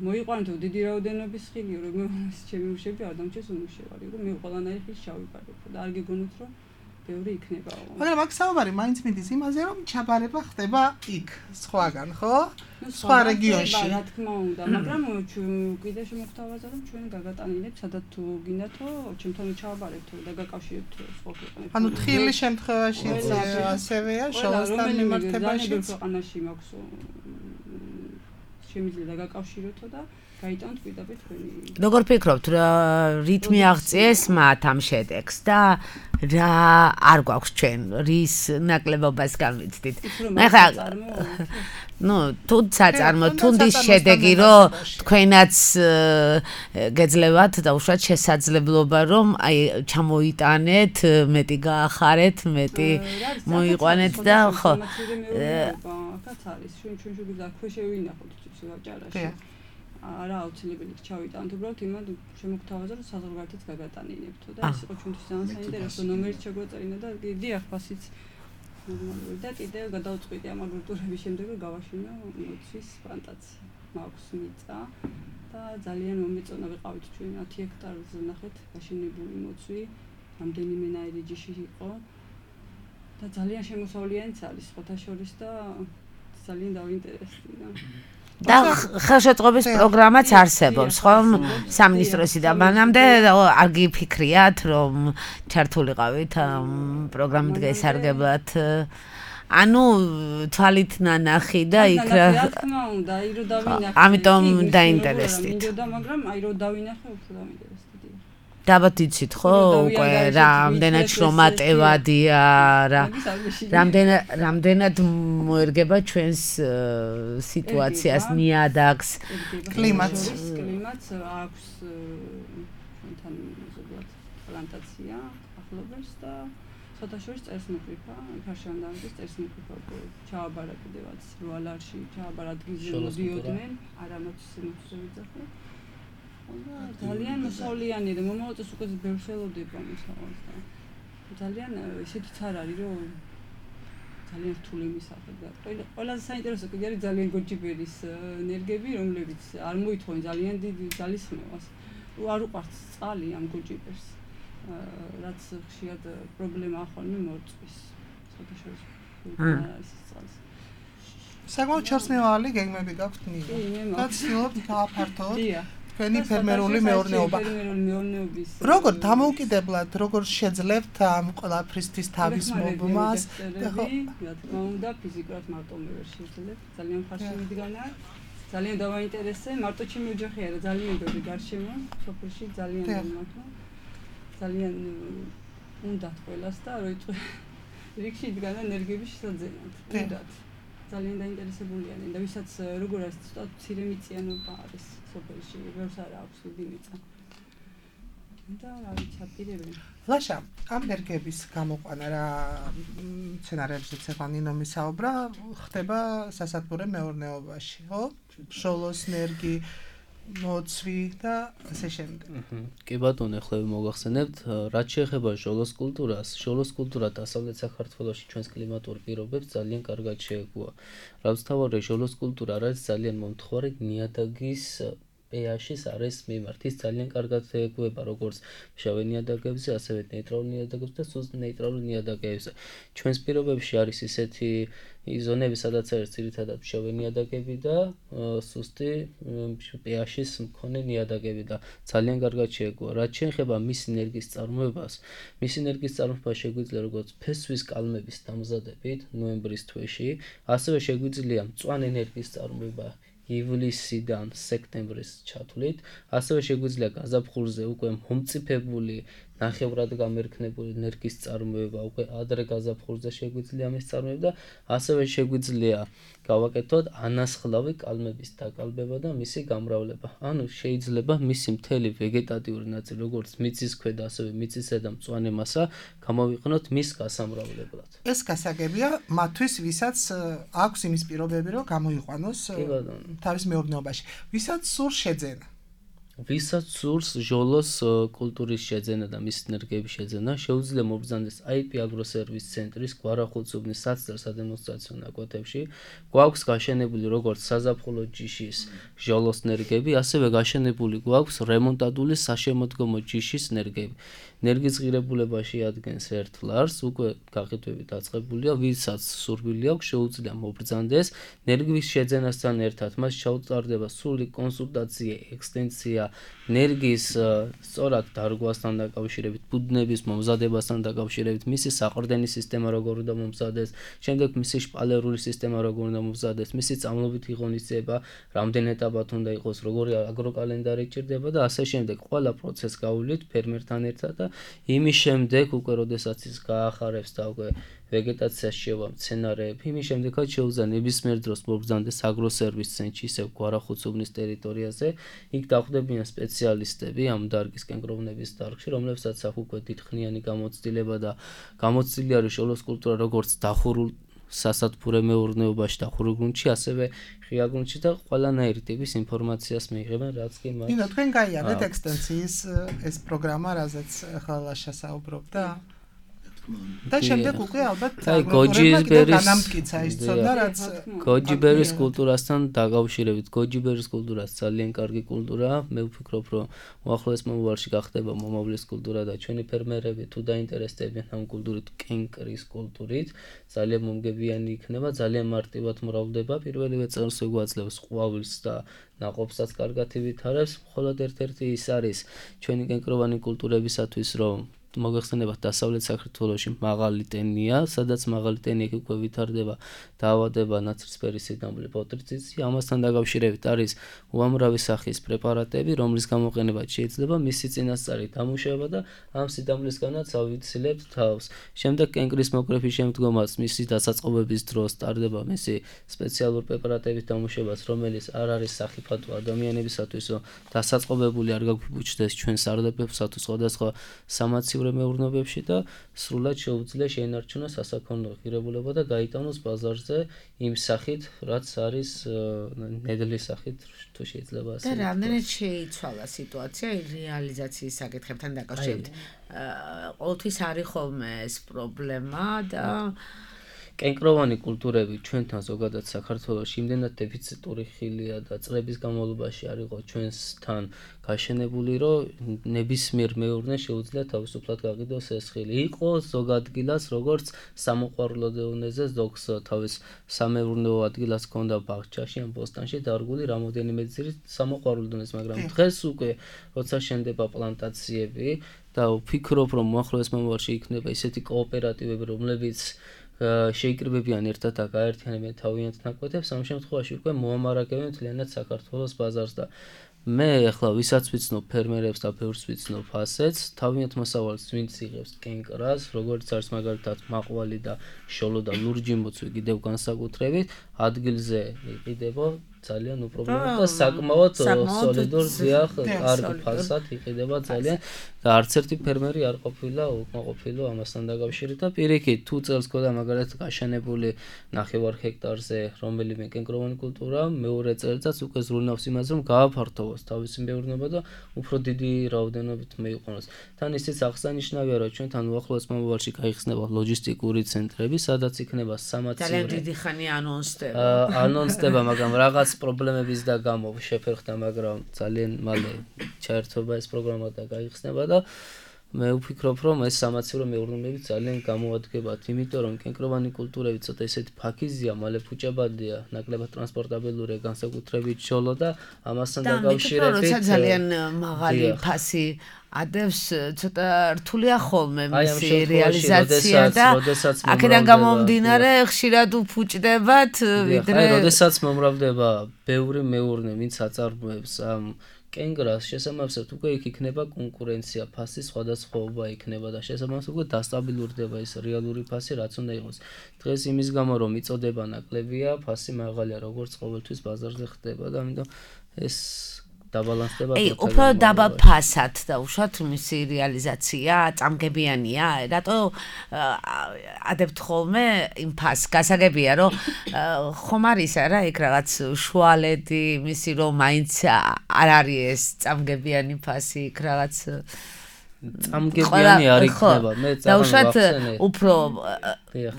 მოიყვანოთ დიდი რაოდენობის ხილი, რომ ჩემი უშები არ დამჭეს უმუშევარი, რომ მე ყველანაირი ხილი შავიფარებ და არ გიგონოთ რომ ბევრი იქნება. მაგრამ აქ საუბარი მაინც მიდის იმაზე, რომ ჩაბარება ხდება იქ, სხვაგან, ხო? სხვა რეგიონში. რა თქმა უნდა, მაგრამ კიდე შემოგთავაზა, რომ ჩვენ გაგატანილებ, სადაც თუ გინდათო, ჩემთან ჩავაბარებთ და გაკავშირებთ სხვა ქვეყნებს. ანუ თხილი შემთხვევაში ასევეა, შოლოსთან მიმართებაში. ქვეყანაში მაქვს შემიძლია გაკავშიროთ და გაიტანოთ პირდაპირ თქვენი. როგორ ფიქრობთ, რითმი აღწიეს მათ ამ შედეგს და რა არ გვაქვს ჩვენ რის ნაკლებობას გამიცდით? მე ხა თუ საწარმო თუნდის შედეგი რომ თქვენაც გეძლევათ და უშუალოდ შესაძლებლობა რომ აი ჩამოიტანეთ, მეტი გაახარეთ, მეტი მოიყვანეთ და ხო აქაც არის ჩვენ შეგვიძლია ქვეშევინახოთ ციცი ვაჭარაში. არა აუცილებელი ჩავიტანთ, უბრალოდ იმად შემოგთავაზა რომ საზღვარგარეთაც გაგატანინებთო და ეს იყო ჩვენთვის ძალიან საინტერესო ნომერიც შეგვაწერინა და დიახ ფასიც ნორმალური და კიდევ გადავწყვიტე ამ აგროტურების შემდეგ რომ გავაშინო მოცვის პლანტაცია. მაქვს მიწა და ძალიან მომეწონა ვიყავით ჩვენ 10 ჰექტარზე ნახეთ გაშენებული მოცვი, რამდენიმე ნაირი ჯიში იყო და ძალიან შემოსავლიანიც არის სხვათა შორის და ძალიან დავინტერესდა. და ხელშეწყობის პროგრამაც არსებობს, ხო? სამინისტროსიდან მანამდე არ გიფიქრიათ, რომ ჩართულიყავით ამ პროგრამით გასარგებლად. ანუ თვალით ნანახი და იქ რა თქმა უნდა, აი რომ დავინახე. ამიტომ დაინტერესდით. მაგრამ აი რომ დავინახე, უფრო დაინტერესდით. დაბათ იცით ხო უკვე რამდენად შრომატევადია რა რამდენად მოერგება ჩვენს სიტუაციას ნიადაგს კლიმატს აქვს ჩვენთან ზოგადად პლანტაცია ახლობელს და სათაშორის წერსმოყრიფა ფარშანდამის წერსმოყრიფა ჩააბარა კიდევაც რუალარში ჩააბარა ადგილზე მოდიოდნენ არამოცზე ვიძახე ძალიან მოსავლიანი და მომავალწელს უკვე ბევრი ხელოვდება მოსავალს და ძალიან ისეთიც არ არის რომ ძალიან რთული მისახებ და ყველაზე საინტერესო კიდე არის ძალიან გოჯიბერის ენერგები რომლებიც არ მოითხოვენ ძალიან დიდი ძალისხმევას არ უყვართ წყალი ამ გოჯიბერს რაც ხშირად პრობლემაა ხოლმე მორწვის საერთაშორისო არის წყალს საკმაოდ ჩასნევალი გეგმები გაქვთ ნინო და ცდილობთ გააფართოთ თქვენი ფერმერული მეურნეობა. როგორ დამოუკიდებლად, როგორ შეძლებთ ამ ყველაფრისთვის თავის მობმას? რა თქმა უნდა, ფიზიკურად მარტო მე ვერ შეძლებ. ძალიან ხარში მიდგანა. ძალიან დავაინტერესე, მარტო ჩემი ოჯახი არა, ძალიან ბევრი გარშემო, სოფელში ძალიან მომაქვს. ძალიან უნდათ ყველას და როიტყვი რიგში იდგანა ენერგიების შესაძენად. უნდათ. ძალიან დაინტერესებულიანი და ვისაც როგორ არის ცოტა მცირე მიწიანობა არის სოფელში, ბევრს არ აქვს დიდი მიწა. და რა ვიცი, აპირებენ. ლაშა, ამ ენერგიების გამოყვანა რა სცენარებზეც ახლა ნინო მისაუბრა, ხდება სასათბურე მეურნეობაში, ხო? შოლოს ენერგი მოცვი და ასე შემდეგ. კი ბატონო, ახლა მოგახსენებთ, რაც შეეხება შოლოს კულტურას, შოლოს კულტურა დასავლეთ საქართველოში ჩვენს კლიმატურ პირობებს ძალიან კარგად შეეგუა. რაც თავარი შოლოს კულტურა არის ძალიან მომთხვარი ნიადაგის pH-ის არის მიმართ. ის ძალიან კარგად ეგუება როგორც მშრალი ნიადაგებზე, ასევე ნეიტრალურ ნიადაგებზე და სუსტ ნეიტრალურ ნიადაგებზე. ჩვენს პირობებში არის ისეთი ზონები, სადაც არის ძირითადად მშრალი ნიადაგები და სუსტი pH-ის მქონე ნიადაგები და ძალიან კარგად შეეგუა. რაც შეეხება მის ენერგიის წარმოებას, მის ენერგიის წარმოება შეგვიძლია როგორც ფესვის კალმების დამზადებით ნოემბრის თვეში, ასევე შეგვიძლია მწვანე ენერგიის წარმოება ივლისიდან სექტემბრის ჩათვლით, ასევე შეგვიძლია გაზაფხულზე უკვე მომწიფებული ნახევრად გამერქნებული ენერგიის წარმოება უკვე ადრე გაზაფხულზე შეგვიძლია მის წარმოება და ასევე შეგვიძლია გავაკეთოთ ანასხლავი კალმების დაკალბება და მისი გამრავლება. ანუ შეიძლება მისი მთელი ვეგეტატიური ნაწილი, როგორც მიწის ქვედა, ასევე მიწის ზედა მწვანე მასა გამოვიყენოთ მის გასამრავლებლად. ეს გასაგებია მათთვის, ვისაც აქვს იმის პირობები, რომ გამოიყვანოს თავის მეურნეობაში. ვისაც სურს შეძენა. ვისაც სურს ჟოლოს კულტურის შეძენა და მის ენერგიების შეძენა, შეუძლია მობრძანდეს IP აგროსერვის ცენტრის გვარახუცუბნის საცდელ სადემონსტრაციო ნაკვეთებში. გვაქვს გაშენებული როგორც საზაფხულო ჯიშის ჟოლოს ენერგიები, ასევე გაშენებული გვაქვს რემონტადული საშემოდგომო ჯიშის ენერგიები. ენერგიის ღირებულებაში ადგენს ერთ ლარს, უკვე გაყიდვები დაწყებულია, ვისაც სურვილი აქვს, შეუძლია მობრძანდეს. ენერგიის შეძენასთან ერთად მას ჩაუტარდება სრული კონსულტაცია, ექსტენსია, ენერგიის სწორად დარგვასთან დაკავშირებით, ბუდნების მომზადებასთან დაკავშირებით, მისი საყრდენი სისტემა როგორ უნდა მომზადეს, შემდეგ მისი შპალერული სისტემა როგორ უნდა მომზადეს, მისი წამლობითი ღონისძიება რამდენ ეტაპად უნდა იყოს, როგორი აგროკალენდარი ჭირდება და ასე შემდეგ. ყველა პროცესს გავuვლით ფერმერთან ერთად და იმის შემდეგ უკვე როდესაც ის გაახარებს და უკვე ვეგეტაციას შევა მცენარეები, იმის შემდეგაც შეუძლია ნებისმიერ დროს მობრძანდეს აგროსერვის ცენტრში, ისევ გვარახუცუბნის ტერიტორიაზე. იქ დახვდებიან სპეციალისტები ამ დარგის კენკროვნების დარგში, რომლებსაც აქვს უკვე დიდხნიანი გამოცდილება და გამოცდილი არის ჟოლოს კულტურა როგორც დახურულ სასათბურე მეურნეობაში, დახურულ გრუნტში, ასევე ღია გრუნტში და ყველანაირი ტიპის ინფორმაციას მიიღებენ, რაც კი მათ. ნინო, თქვენ გაიარეთ ექსტენსიის ეს პროგრამა, რაზეც ახლა შესაუბრობდა? და შემდეგ უკვე ალბათ განამტკიცა ის ცოდნა, რაც გოჯიბერის კულტურასთან დაკავშირებით. გოჯიბერის კულტურას ძალიან კარგი კულტურაა. მე ვფიქრობ, რომ უახლოეს მომავალში გახდება მომავლის კულტურა და ჩვენი ფერმერები თუ დაინტერესდებიან ამ კულტურით, კენკრის კულტურით, ძალიან მომგებიანი იქნება, ძალიან მარტივად მრავლდება. პირველივე წელს გვაძლევს ყვავილს და ნაყოფსაც კარგად ივითარებს. მხოლოდ ერთ-ერთი ის არის ჩვენი კენკროვანი კულტურებისათვის, რომ მოგეხსენებათ დასავლეთ საქართველოში მაღალი ტენია, სადაც მაღალი ტენია უკვე ვითარდება დაავადება ნაცრისფერი სიდამლე პოტრიციცი. ამასთან დაკავშირებით არის უამრავი სახის პრეპარატები, რომლის გამოყენება შეიძლება მისი წინასწარი დამუშავება და ამ სიდამლისგანაც ავიცილებთ თავს. შემდეგ კენკრის მოკრეფის შემდგომაც მისი დასაწყობების დროს ტარდება მისი სპეციალური პრეპარატების დამუშავებას, რომელიც არ არის სახიფათო ადამიანებისათვის, რომ დასაწყობებული არ გაგვიბუჩდეს ჩვენ სარდაფებსა თუ სხვადასხვა სამაცივრო მეურნეობებში და სრულად შეუძლია შეენარჩუნოს სასაქონლო ღირებულება და გაიტანოს ბაზარზე იმ სახით, რაც არის ნედლის სახით, თუ შეიძლება ასე. და რამდენად შეიცვალა სიტუაცია რეალიზაციის საკითხებთან დაკავშირებით? ყოველთვის არის ხოლმე ეს პრობლემა და კენკროვანი კულტურები ჩვენთან ზოგადად საქართველოში იმდენად დეფიციტური ხილია და წლების განმავლობაში არ იყო ჩვენთან გაშენებული, რომ ნებისმიერ მეურნე შეუძლია თავისუფლად გაყიდოს ეს ხილი. იყო ზოგ ადგილას, როგორც სამოყვარულო დონეზე, ზოგს თავის სამეურნეო ადგილას ჰქონდა ბაღჩაში ან ბოსტანში დარგული რამოდენიმე ძირი სამოყვარულო დონეზე, მაგრამ დღეს უკვე როცა შენდება პლანტაციები და ვფიქრობ, რომ უახლოეს მომავალში იქნება ისეთი კოოპერატივები, რომლებიც შეიკრიბებიან ერთად და გაერთიანებიან თავიანთ ნაკვეთებს, ამ შემთხვევაში უკვე მოამარაგებენ მთლიანად საქართველოს ბაზარს და მე ახლა ვისაც ვიცნობ ფერმერებს და ბევრს ვიცნობ ასეც, თავიანთ მოსავალს ვინც იღებს კენკრას, როგორც არის მაგალითად მაყვალი და შოლო და ლურჯი მოცვი კიდევ განსაკუთრებით, ადგილზე იყიდება ძალიან უპრობლემო და საკმაოდ სოლიდურ ზიახ კარგი ფასად იყიდება ძალიან და არც ერთი ფერმერი არ ყოფილა უკმაყოფილო ამასთან დაკავშირებით და პირიქით თუ წელს გქონდა მაგალითად გაშენებული 9 ჰექტარზე რომელიმე კენკროვანი კულტურა, მეორე წელსაც უკვე ზრუნავს იმაზე, რომ გააფართოვოს თავისი მეურნეობა და უფრო დიდი რაოდენობით მეიყვანოს. თან ისიც აღსანიშნავია, რომ ჩვენთან უახლოეს მომავალში გაიხსნება ლოჯისტიკური ცენტრები, სადაც იქნება სამაცივრი ძალიან დიდი ხანი ანონსდება. ანონსდება, მაგრამ რაღაც რაღაც პრობლემების და გამო შეფერხდა, მაგრამ ძალიან მალე ჩაერთვება ეს პროგრამა და გაიხსნება და მე ვფიქრობ, რომ ეს სამაცივრო მეურნეობები ძალიან გამოადგებათ, იმიტომ რომ კენკროვანი კულტურები ცოტა ესეთი ფაქიზია, მალე ფუჭებადია, ნაკლებად ტრანსპორტაბელურია, განსაკუთრებით ჩოლო და ამასთან დაკავშირებით როცა ძალიან მაღალი ფასი ადევს, ცოტა რთულია ხოლმე მისი რეალიზაცია და აქედან გამომდინარე ხშირად უფუჭდებათ, ვიდრე როდესაც მომრავლდება ბევრი მეურნე, ვინც აწარმოებს ამ კენგრას შესაბამისად უკვე იქ იქნება კონკურენცია, ფასის სხვადასხვაობა იქნება და შესაბამისად უკვე დასტაბილურდება ეს რეალური ფასი, რაც უნდა იყოს. დღეს იმის გამო რომ იწოდება ნაკლებია, ფასი მაღალია, როგორც ყოველთვის ბაზარზე ხდება და ამიტომ ეს დაბალანსდება. უფრო დაბა ფასად და უშუალოდ მისი რეალიზაცია წამგებიანია. რატო ადებთ ხოლმე იმ ფასს? გასაგებია რომ ხომ არის არა იქ რაღაც შუალედი მისი რომ მაინც არ არის ეს წამგებიანი ფასი იქ რაღაც წამგებიანი არ იქნება. მე წამგებიანი უფრო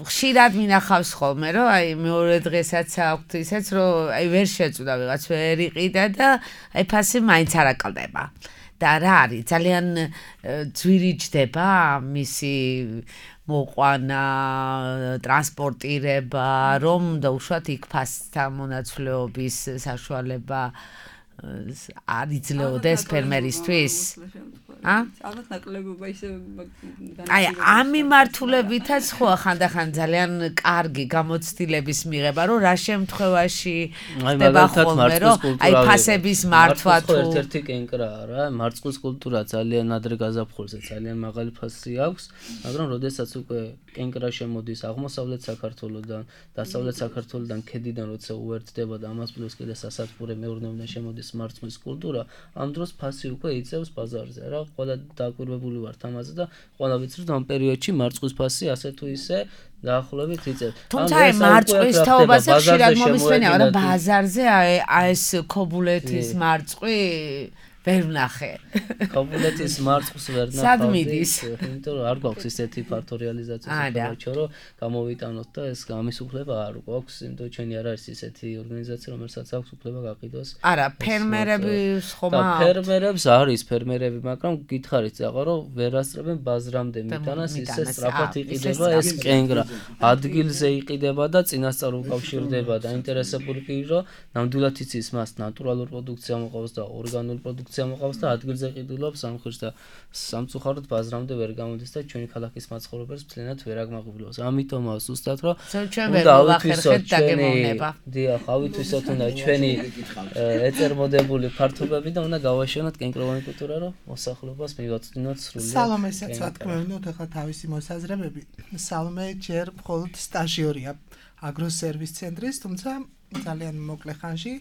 ხშირად მინახავს ხოლმე რომ აი მეორე დღესაც აქვთ ისეც რომ აი ვერ შეწუდა ვიღაც ვერ იყიდა და აი ფასი მაინც არ აკლდება. და რა არის ძალიან ძვირიჯდება მისი მოყვანა, ტრანსპორტირება, რომ და უშუალოდ იქ ფასთან მონაცვლეობის საშუალება არ იძლეოდეს ფერმერისთვის. ალბათ ნაკლებობა ისე აი ამ მიმართულებითაც ხო ხანდახან ძალიან კარგი გამოცდილების მიღება, რომ რა შემთხვევაში ხდება ხოლმე, რომ აი ფასების მართვა თუ ერთ-ერთი კენკრაა რა, მარწყვის კულტურა ძალიან ადრე გაზაფხულზე ძალიან მაღალი ფასი აქვს, მაგრამ როდესაც უკვე კენკრა შემოდის აღმოსავლეთ საქართველოსდან, დასავლეთ საქართველოსდან, ქედიდან როცა უერთდება და ამას პლუს კიდე სასათბურე მეურნეობიდან შემოდის მარწყვის კულტურა, ამ დროს ფასი უკვე იწევს ბაზარზე რა. ყველა დაკვირვებული ვართ ამაზე და ყველა ვიცით რომ ამ პერიოდში მარწყვის ფასი ასე თუ ისე დაახლოებით იწევს. თუმცა აი მარწყვის თაობაზე ხშირად მომისმენია რა ბაზარზე აი ეს ქობულეთის მარწყვი ვერ ვნახე. ქობულეთის მარწყვის ვერ ნახავდი. სად მიდის? იმიტომ რომ არ გვაქვს ისეთი ფართო რეალიზაციის უფლება, რომ გამოვიტანოთ და ეს ამის უფლება არ გვაქვს, იმიტომ რომ ჩვენი არ არის ისეთი ორგანიზაცია, რომელსაც აქვს უფლება გაყიდოს. არა, ფერმერები ხომა ფერმერებს არის ფერმერები, მაგრამ გითხარით ზაღა რომ ვერ ასწრებენ ბაზრამდე მიტანას ისე სწრაფად იყიდება ეს კენგრა. ადგილზე იყიდება და წინასწარ უკავშირდება და ინტერესებული კი რომ ნამდვილად იცის მას ნატურალურ პროდუქცია მოყავს და ორგანულ პროდუქცია მოყავს და ადგილზე ყიდულობს სამხირს და სამწუხაროდ ბაზრამდე ვერ გამოდის და ჩვენი ქალაქის მაცხოვრებელს მთლიანად ვერ აგმაყვილებს. ამიტომაა ზუსტად რომ უნდა ავითვისოთ დაგემოვნება. დიახ, ავითვისოთ უნდა ჩვენი ეწარმოდებული ფართობები და უნდა გავაშენოთ კენკროვანი კულტურა, რომ მოსახლეობას მივაწვდინოთ სრულად. სალომესაც ვთქვენოთ ახლა თავისი მოსაზრებები. სალომე ჯერ მხოლოდ სტაჟიორია აგროსერვის ცენტრის, თუმცა ძალიან მოკლე ხანში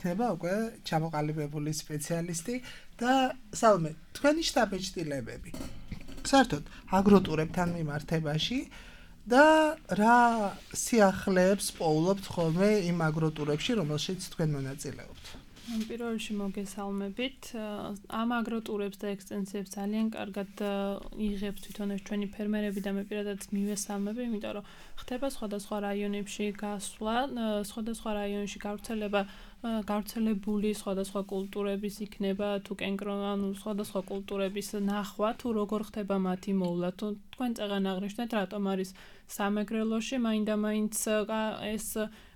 იქნება უკვე ჩამოყალიბებული სპეციალისტი და სალომე, თქვენი შტაბ-ეჭდილებები. საერთოდ აგროტურებთან მიმართებაში და რა სიახლეებს პოულობთ ხოლმე იმ აგროტურებში, რომელშიც თქვენ მონაწილეობთ? პირველ რიგში მოგესალმებით. ამ აგროტურებს და ექსტენსიებს ძალიან კარგად იღებს თვითონ ეს ჩვენი ფერმერები და მე პირადად მივესალმები, იმიტომ რომ ხდება სხვადასხვა რაიონებში გასვლა, სხვადასხვა რაიონში გავრცელებული სხვადასხვა კულტურების იქნება თუ კენკროვანი სხვადასხვა კულტურების ნახვა, თუ როგორ ხდება მათი მოვლა, თუ თქვენ წეგან აღნიშნეთ, რატომ არის სამეგრელოში მაინდა-მაინც ეს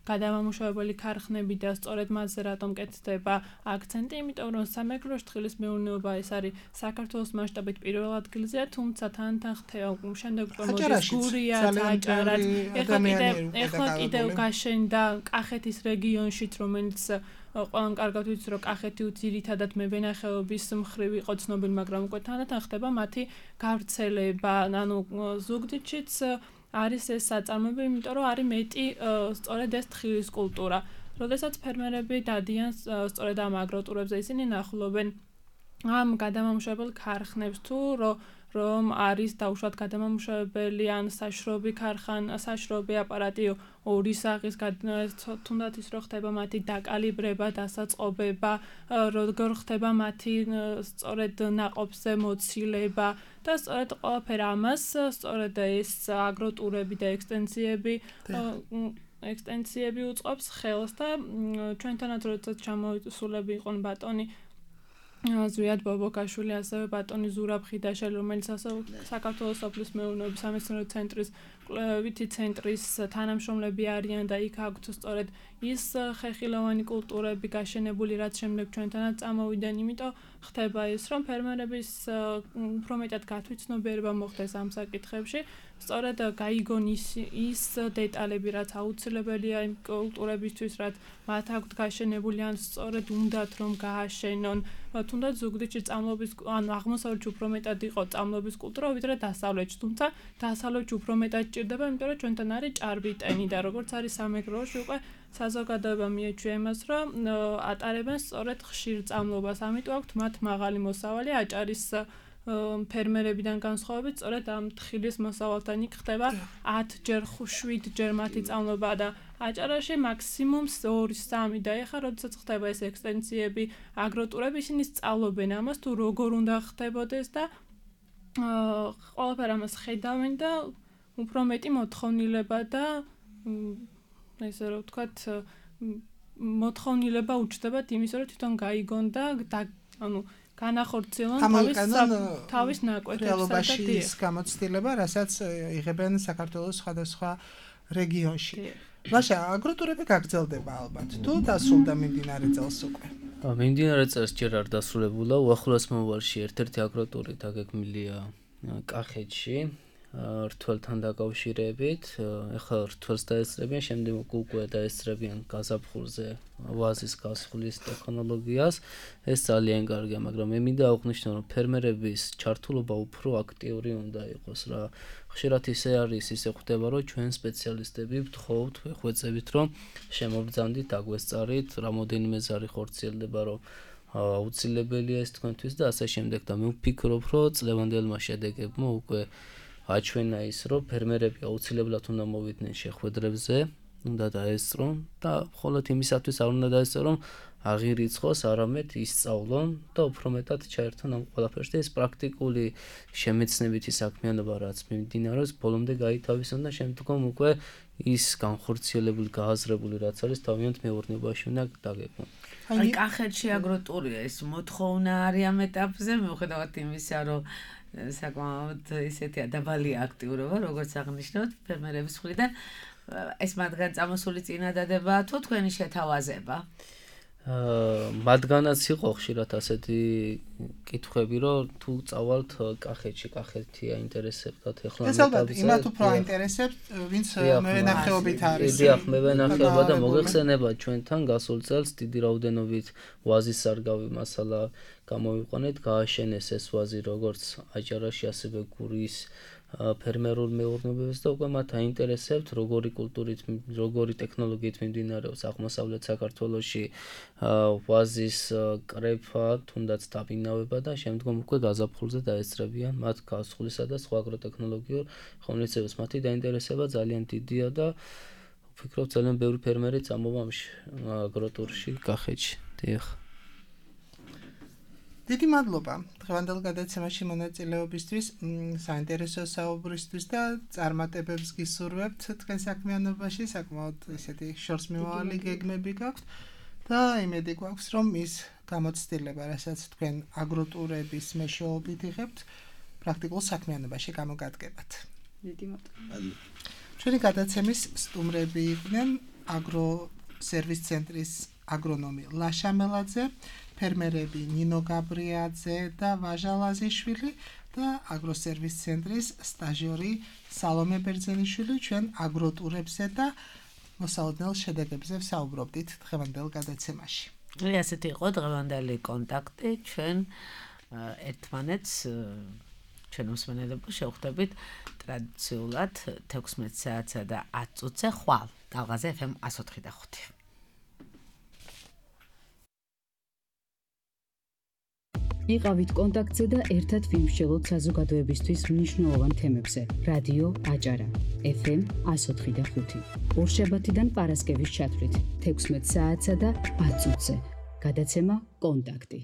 გადამამუშავებელი ქარხნები და სწორედ მასზე რატომ კეთდება აქცენტი, იმიტომ რომ სამეგრელოში თხილის მეურნეობა ეს არის საქართველოს მასშტაბით პირველ ადგილზეა, თუმცა თან-თან ხდება შემდეგ უკვე მოდის გურია, აჭარაც, ეხლა კიდევ გაშენდა კახეთის რეგიონშიც, რომელიც ყველამ კარგად ვიცი, რომ კახეთი ძირითადად მევენახეობის მხრივ იყო ცნობილი, მაგრამ უკვე თან-თან ხდება მათი გავრცელება, ანუ ზუგდიდშიც არის ეს საწარმოები, იმიტომ რომ არის მეტი სწორედ ეს თხილის კულტურა. როდესაც ფერმერები დადიან სწორედ ამ აგროტურებზე, ისინი ნახულობენ ამ გადამამუშავებელ ქარხნებს თუ რომ არის დაუშვათ გადამამუშავებელი ან საშრობი აპარატი ორი სახის თუნდაც ის რომ ხდება მათი დაკალიბრება, დასაწყობება, როგორ ხდება მათი სწორედ ნაყოფზე მოცილება და სწორედ ყველაფერ ამას სწორედ ეს აგროტურები და ექსტენსიები ექსტენსიები უწყობს ხელს და ჩვენთანაც როდესაც ჩამოისულები იყვნენ ბატონი ზვიად ბობოკაშვილი, ასევე ბატონი ზურაბ ხიდაშელი, რომელიც ასევე საქართველოს სოფლის მეურნეობის სამეცნიერო ცენტრის კვლევითი ცენტრის თანამშრომლები არიან და იქ აქვთ სწორედ ის ხეხილოვანი კულტურები გაშენებული, რაც შემდეგ ჩვენთანაც წამოვიდნენ, იმიტომ ხდება ის, რომ ფერმერების უფრო მეტად გათვითცნობიერება მოხდეს ამ საკითხებში, სწორედ გაიგონ ის დეტალები, რაც აუცილებელია იმ კულტურებისთვის, რაც მათ აქვთ გაშენებული, ან სწორედ უნდათ რომ გააშენონ, თუნდაც ზუგდიდში წამლობის, ანუ აღმოსავლეთში უფრო მეტად იყო წამლობის კულტურა, ვიდრე დასავლეთში, თუმცა დასავლეთში უფრო მეტად ჭირდება, იმიტომ რომ ჩვენთან არის ჭარბი ტენი და როგორც არის სამეგრელოში უკვე საზოგადოება მიეჩვია იმას, რომ ატარებენ სწორედ ხშირ წამლობას, ამიტომ აქვთ მათ მაღალი მოსავალი აჭარის ფერმერებიდან განსხვავებით, სწორედ ამ თხილის მოსავალთან იქ ხდება 10 ჯერ 7 ჯერ მათი წამლობა და აჭარაში მაქსიმუმ 2-3 და ეხლა როდესაც ხდება ეს ექსტენსიები, აგროტურები, ისინი სწავლობენ ამას თუ როგორ უნდა ხდებოდეს და ყველაფერ ამას ხედავენ და უფრო მეტი მოთხოვნილება და ესე რომ ვთქვათ მოთხოვნილება უჩნდებათ იმის, რომ თვითონ გაიგონ და ანუ განახორციელონ თავის ნაკვეთებსა და რეალობაში ის გამოცდილება, რასაც იღებენ საქართველოს სხვადასხვა რეგიონში. მაშა აგროტურები გაგრძელდება ალბათ. თუ დასრულდა მიმდინარე წელს უკვე. მიმდინარე წელს ჯერ არ დასრულებულა, უახლოეს მომავალში ერთ-ერთი აგროტური დაგეგმილია კახეთში. რთველთან დაკავშირებით, ეხლა რთველს დაესწრებიან, შემდეგ უკვე დაესწრებიან გაზაფხულზე ვაზის გასხლის ტექნოლოგიას. ეს ძალიან კარგია, მაგრამ მე მინდა აღვნიშნო, რომ ფერმერების ჩართულობა უფრო აქტიური უნდა იყოს რა. ხშირად ისე არის, ისე ხდება, რომ ჩვენ სპეციალისტები ვთხოვთ, ვეხვეწებით, რომ შემობრძანდით, აგვესწარით, რამოდენიმე ზარი ხორციელდება, რომ აუცილებელია ეს თქვენთვის და ასე შემდეგ და მე ვფიქრობ, რომ წლევანდელმა შედეგებმა უკვე აჩვენა ის, რომ ფერმერები აუცილებლად უნდა მოვიდნენ შეხვედრებზე, უნდა დაესწრონ და მხოლოდ იმისათვის არ უნდა დაესწრონ, აღირიცხოს, არამედ ისწავლონ და უფრო მეტად ჩაერთონ ამ ყველაფერში. ეს პრაქტიკული შემეცნებითი საქმიანობა, რაც მიმდინარეობს, ბოლომდე გაითავისონ და შემდგომ უკვე ის განხორციელებული, გააზრებული, რაც არის თავიანთ მეურნეობაში უნდა დაგეგმონ. აი, კახეთში აგროტურია, ეს მოთხოვნა არის ამ ეტაპზე, მიუხედავად იმისა, რომ საკმაოდ ისეთი დაბალი აქტიურობა, როგორც აღნიშნოთ, ფერმერების მხრიდან, ეს მათგან წამოსული წინადადებაა თუ თქვენი შეთავაზება? მათგანაც იყო ხშირად ასეთი კითხვები, რომ თუ წავალთ კახეთში, კახეთი აინტერესებდათ ეხლა ეს ალბათ იმათ უფრო აინტერესებს, ვინც მევენახეობით არის. დიახ, მევენახეობა და მოგეხსენება ჩვენთან გასულ წელს დიდი რაოდენობით ვაზის სარგავი მასალა გამოვიყვანეთ, გააშენეს ეს ვაზი როგორც აჭარაში, ასევე გურიის ფერმერულ მეურნეობებს და უკვე მათ აინტერესებთ როგორი კულტურით, როგორი ტექნოლოგიით მიმდინარეობს აღმოსავლეთ საქართველოში ვაზის კრეფა, თუნდაც დაბინავება და შემდგომ უკვე გაზაფხულზე დაესწრებიან მათ გასხლისა და სხვა აგროტექნოლოგიურ ღონისძიებებს. მათი დაინტერესება ძალიან დიდია და ვფიქრობ ძალიან ბევრი ფერმერი წამოვა ამ აგროტურში კახეთში. დიახ. დიდი მადლობა დღევანდელ გადაცემაში მონაწილეობისთვის, საინტერესო საუბრისთვის და წარმატებებს გისურვებთ თქვენ საქმიანობაში, საკმაოდ ისეთი შორსმიმავალი გეგმები გაქვთ და იმედი გვაქვს, რომ ის გამოცდილება, რასაც თქვენ აგროტურების მეშვეობით იღებთ, პრაქტიკულ საქმიანობაში გამოგადგებათ. დიდი მადლობა. ჩვენი გადაცემის სტუმრები იყვნენ აგროსერვის ცენტრის აგრონომი ლაშა მელაძე, ფერმერები ნინო გაბრიაძე და ვაჟა ლაზიშვილი და აგროსერვის ცენტრის სტაჟიორი სალომე ბერძენიშვილი. ჩვენ აგროტურებზე და მოსალოდნელ შედეგებზე ვსაუბრობდით დღევანდელ გადაცემაში. ასეთი იყო დღევანდელი კონტაქტი, ჩვენ ერთმანეთს ჩვენ მსმენელებო შევხვდებით ტრადიციულად 16 საათსა და 10 წუთზე ხვალ ტალღაზე FM 104.5. იყავით კონტაქტზე და ერთად ვიმსჯელოთ საზოგადოებისთვის მნიშვნელოვან თემებზე. რადიო აჭარა FM 104.5. ორშაბათიდან პარასკევის ჩათვლით 16 საათსა და 10 წუთზე. გადაცემა კონტაქტი.